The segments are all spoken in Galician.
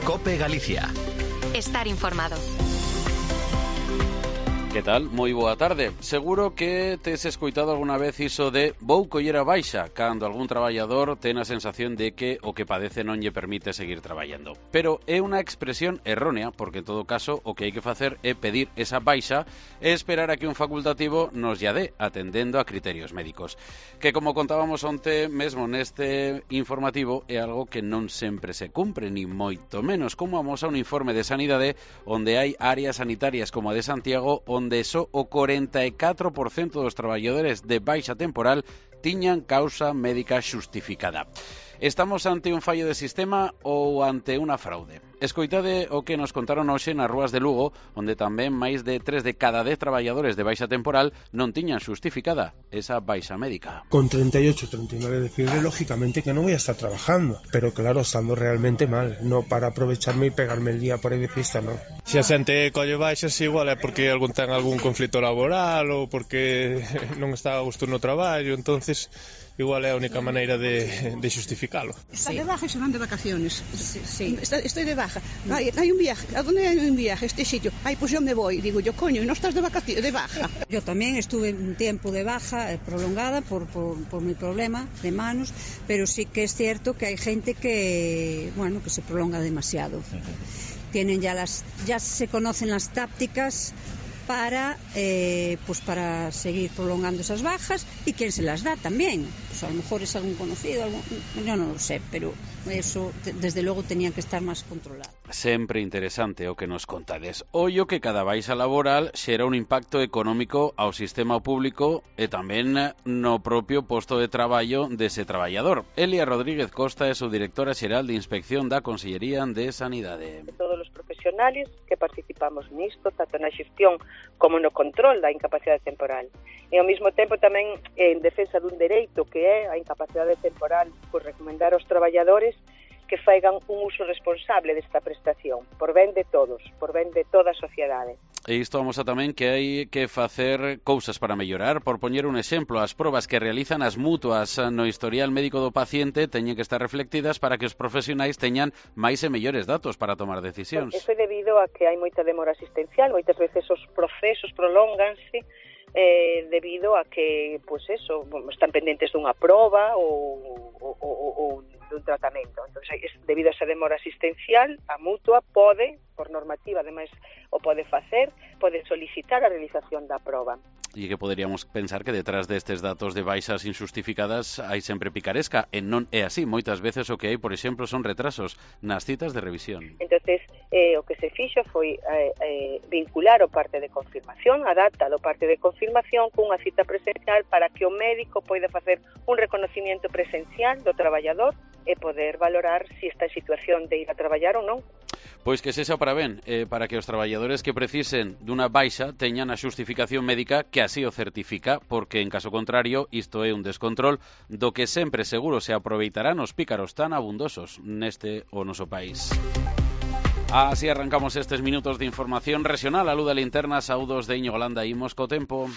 COPE Galicia. Estar informado. Que tal? Moi boa tarde. Seguro que tes escoitado alguna vez iso de vou coller a baixa cando algún traballador ten a sensación de que o que padece non lle permite seguir traballando. Pero é unha expresión errónea, porque en todo caso o que hai que facer é pedir esa baixa e esperar a que un facultativo nos lla dé, atendendo a criterios médicos. Que como contábamos onte mesmo neste informativo é algo que non sempre se cumpre, ni moito menos, como amosa un informe de Sanidade onde hai áreas sanitarias como a de Santiago onde só o 44% dos traballadores de baixa temporal tiñan causa médica xustificada. Estamos ante un fallo de sistema ou ante unha fraude? Escoitade o que nos contaron hoxe nas rúas de Lugo, onde tamén máis de 3 de cada 10 traballadores de baixa temporal non tiñan xustificada esa baixa médica. Con 38, 39 de fiebre, lógicamente que no voy a estar trabajando, pero claro, estando realmente mal, no para aprovecharme y pegarme el día por aí de fiesta, no. Se a xente colle baixas igual é porque ten algún conflito laboral ou porque non está a gusto no traballo, entonces igual é a única maneira de xustificalo. Está de baja y se van de vacaciones. Sí. Estoy de baja. Hay un viaje. ¿A dónde hay un viaje? Este sitio. Ay, pues yo me voy. Digo yo, coño, ¿y no estás de vacaciones, de baja? Yo también estuve un tiempo de baja prolongada por mi problema de manos, pero sí que es cierto que hay gente que se prolonga demasiado. Tienen ya se conocen las tácticas para seguir prolongando esas bajas, y quién se las da también. Pues a lo mejor es algún conocido, yo no lo sé, pero eso desde luego tenía que estar máis controlado. Sempre interesante o que nos contades. Ollo que cada baixa laboral xera un impacto económico ao sistema público e tamén no propio posto de traballo dese traballador. Elia Rodríguez Costa é subdirectora xeral de Inspección da Consellería de Sanidade. Todos os profesionales que participamos nisto, tanto na xestión como no control da incapacidade temporal. E ao mesmo tempo tamén en defensa dun dereito que é a incapacidade temporal, por recomendar aos traballadores que faigan un uso responsable desta prestación, por ben de todos, por ben de toda a sociedade. E isto vamos a tamén que hai que facer cousas para mellorar. Por poñer un exemplo, as probas que realizan as mutuas no historial médico do paciente teñen que estar reflectidas para que os profesionais teñan máis e mellores datos para tomar decisións. Eso é debido a que hai moita demora asistencial, moitas veces os procesos prolónganse debido a que, están pendentes dunha proba ou dun tratamento. Entón, debido a esa demora asistencial, a mutua pode, por normativa, ademais, o pode facer, pode solicitar a realización da proba. E que poderíamos pensar que detrás destes datos de baixas injustificadas hai sempre picaresca, e non é así. Moitas veces o que hai, por exemplo, son retrasos nas citas de revisión. Entonces, o que se fixo foi vincular o parte de confirmación, a data do parte de confirmación cunha cita presencial para que o médico poida facer un reconocimiento presencial do traballador e poder valorar se está en situación de ir a traballar ou non. Pois que sexa para ben, para que os traballadores que precisen dunha baixa teñan a xustificación médica que así o certifica, porque en caso contrario isto é un descontrol do que sempre seguro se aproveitarán os pícaros tan abundosos neste o noso país. Así arrancamos estes minutos de información regional. A luz da linterna, saúdos de Íñigo Landa, imos co tempo.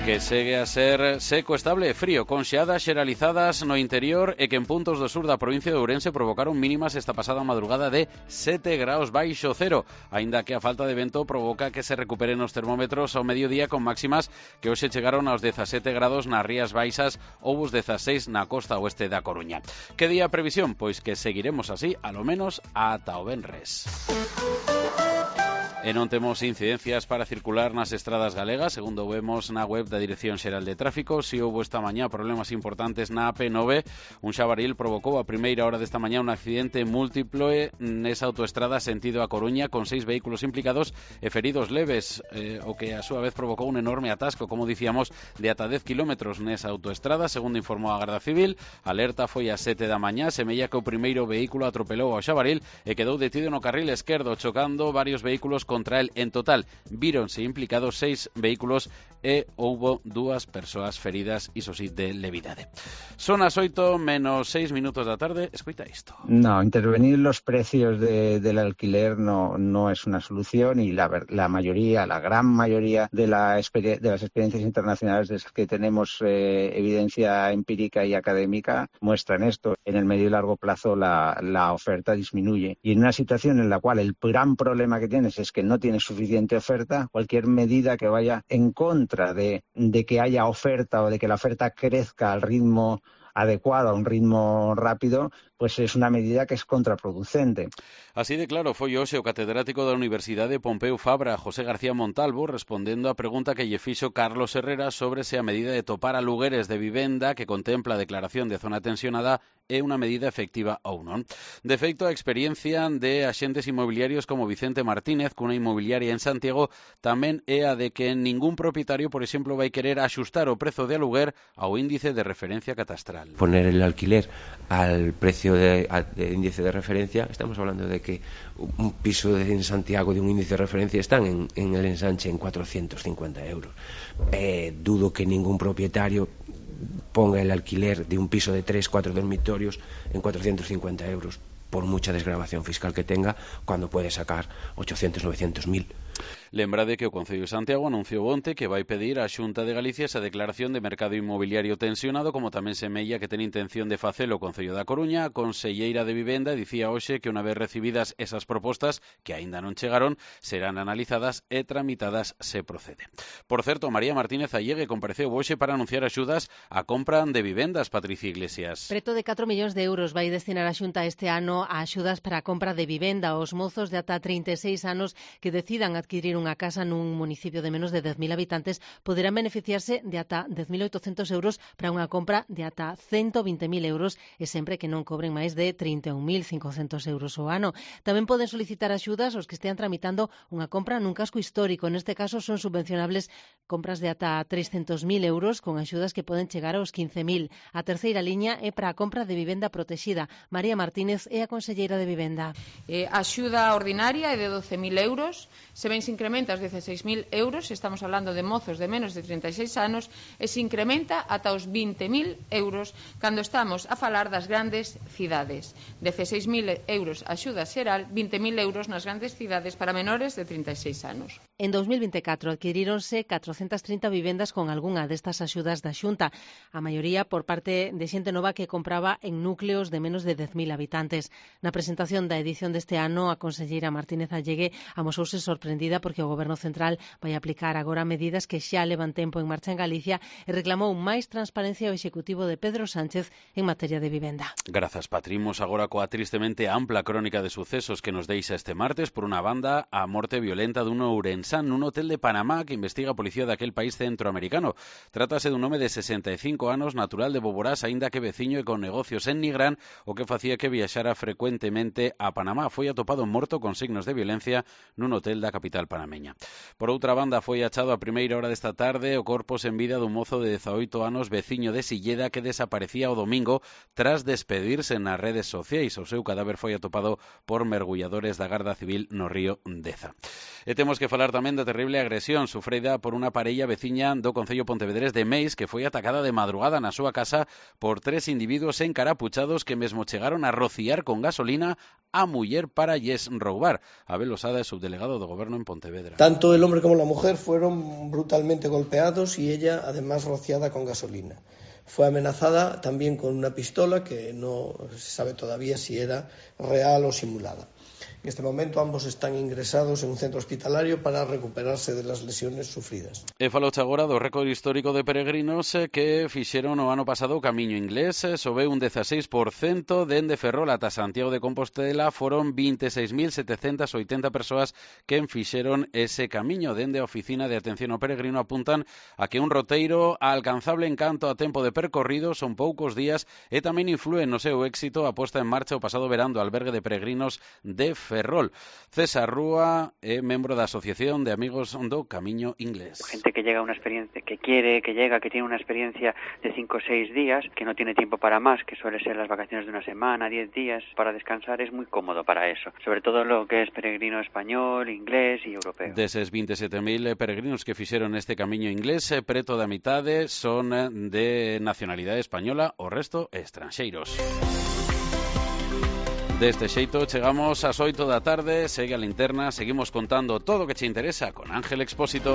Que segue a ser seco, estable e frío, con xeadas xeralizadas no interior e que en puntos do sur da provincia de Ourense provocaron mínimas esta pasada madrugada de 7 graus baixo cero, aínda que a falta de vento provoca que se recuperen os termómetros ao mediodía con máximas que hoxe chegaron aos 17 grados nas Rías Baixas ou os 16 na costa oeste da Coruña. Que día a previsión? Pois que seguiremos así, alo menos, ata o venres. E non temos incidencias para circular nas estradas galegas, segundo vemos na web da Dirección Xeral de Tráfico. Si houbo esta mañá problemas importantes na AP9, un xabaril provocou a primeira hora desta mañá un accidente múltiple nesa autoestrada sentido a Coruña, con 6 vehículos implicados e feridos leves, o que a súa vez provocou un enorme atasco, como dicíamos, de ata 10 kilómetros nesa autoestrada. Segundo informou a Garda Civil, a alerta foi a 7 da mañá, semella que o primeiro vehículo atropelou ao xabaril e quedou detido no carril esquerdo, chocando varios vehículos contra él. En total, víronse implicados 6 vehículos e houbo 2 persoas feridas, iso sí, de levidade. Son as 8 menos 6 minutos da tarde. Escoita isto. No, intervenir los precios del alquiler no es una solución, y la gran mayoría de las experiencias internacionales de las que tenemos evidencia empírica y académica muestran esto. En el medio y largo plazo la oferta disminuye, y en una situación en la cual el gran problema que tienes es que no tienes suficiente oferta, cualquier medida que vaya en contra de que haya oferta o de que la oferta crezca al ritmo adecuado, a un ritmo rápido, pues es una medida que es contraproducente. Así de claro foi hoxe o catedrático da Universidade Pompeu Fabra, José García Montalvo, respondendo á pregunta que lle fixo Carlos Herrera sobre se a medida de topar alugueres de vivenda que contempla a declaración de zona tensionada é unha medida efectiva ou non. De feito, a experiencia de axentes inmobiliarios como Vicente Martínez, cunha inmobiliaria en Santiago, tamén é a de que ningún propietario, por exemplo, vai querer axustar o prezo de aluguer ao índice de referencia catastral. Poner el alquiler al precio de índice de referencia, estamos hablando de que un piso en Santiago de un índice de referencia están en el ensanche en 450 euros. Dudo que ningún propietario ponga el alquiler de un piso de 3-4 dormitorios en 450 euros, por mucha desgravación fiscal que tenga, cuando puede sacar 800-900.000. Lembrade que o Concello de Santiago anunciou onte que vai pedir á Xunta de Galicia esa declaración de mercado inmobiliario tensionado, como tamén semella que ten intención de facelo o Concello da Coruña. A conselleira de Vivenda dicía hoxe que unha vez recibidas esas propostas, que aínda non chegaron, serán analizadas e tramitadas se procede. Por certo, María Martínez Allegue compareceu hoxe para anunciar axudas á compra de vivendas. Patricia Iglesias. Preto de 4 millóns de euros vai destinar a Xunta este ano a axudas para a compra de vivenda aos mozos de ata 36 anos que decidan adquirir unha casa nun municipio de menos de 10.000 habitantes. Poderán beneficiarse de ata 10.800 euros para unha compra de ata 120.000 euros, e sempre que non cobren máis de 31.500 euros ao ano. Tamén poden solicitar axudas os que estean tramitando unha compra nun casco histórico. Neste caso son subvencionables compras de ata 300.000 euros con axudas que poden chegar aos 15.000. A terceira liña é para a compra de vivenda protexida. María Martínez é a conselleira de Vivenda. A axuda ordinaria é de 12.000 euros, se ben se incrementa aos 16.000 euros, estamos hablando de mozos de menos de 36 anos, e se incrementa ata os 20.000 euros cando estamos a falar das grandes cidades. 16.000 euros axuda xeral, 20.000 euros nas grandes cidades para menores de 36 anos. En 2024 adquiríronse 430 vivendas con algunha destas axudas da Xunta, a maioría por parte de xente nova que compraba en núcleos de menos de 10.000 habitantes. Na presentación da edición deste ano, a conselleira Martínez Allegue amosouse sorprendida porque o Goberno Central vai aplicar agora medidas que xa levan tempo en marcha en Galicia, e reclamou máis transparencia ao Executivo de Pedro Sánchez en materia de vivenda. Grazas, Patrimos, agora coa tristemente ampla crónica de sucesos que nos deixa este martes. Por unha banda, a morte violenta dun ourensán nun hotel de Panamá que investiga a policía daquel país centroamericano. Trátase dun home de 65 anos, natural de Boborás, aínda que veciño e con negocios en Nigrán, o que facía que viaxara frecuentemente a Panamá. Foi atopado morto con signos de violencia nun hotel da capital panameña. Por outra banda, foi achado a primeira hora desta tarde o corpo sen vida dun mozo de 18 anos veciño de Silleda que desaparecía o domingo tras despedirse nas redes sociais. O seu cadáver foi atopado por mergulladores da Garda Civil no río Deza. E temos que falar tamén da terrible agresión sufrida por unha parella veciña do Concello Pontevedrés de Meis que foi atacada de madrugada na súa casa por 3 individuos encarapuchados que mesmo chegaron a rociar con gasolina a muller para lles roubar. Abel Osada é subdelegado do Goberno en Pontevedra. Tanto el hombre como la mujer fueron brutalmente golpeados y ella además rociada con gasolina. Fue amenazada también con una pistola que no se sabe todavía si era real o simulada. En este momento ambos están ingresados en un centro hospitalario para recuperarse de las lesiones sufridas. E faloche agora do récord histórico de peregrinos que fixeron o ano pasado o camiño inglés. Sobe un 16% dende Ferrol ata Santiago de Compostela. Foron 26.780 persoas que fixeron ese camiño. Dende a Oficina de Atención ao Peregrino apuntan a que un roteiro alcanzable en canto a tempo de percorrido son poucos días e tamén inflúe no seu éxito a posta en marcha o pasado verán do albergue de peregrinos de Ferrol. César Rúa é membro da Asociación de Amigos do Camiño Inglés. Gente que llega a una experiencia, que quiere, que llega, que tiene una experiencia de 5 o 6 días, que no tiene tiempo para más, que suele ser las vacaciones de una semana, 10 días, para descansar, es muy cómodo para eso. Sobre todo lo que es peregrino español, inglés e europeo. Deses 27.000 peregrinos que fixeron este camiño inglés, preto da mitade son de nacionalidade española, o resto estranxeiros. Deste xeito chegamos ás 8 da tarde, segue a linterna, seguimos contando todo o que che interesa con Ángel Expósito.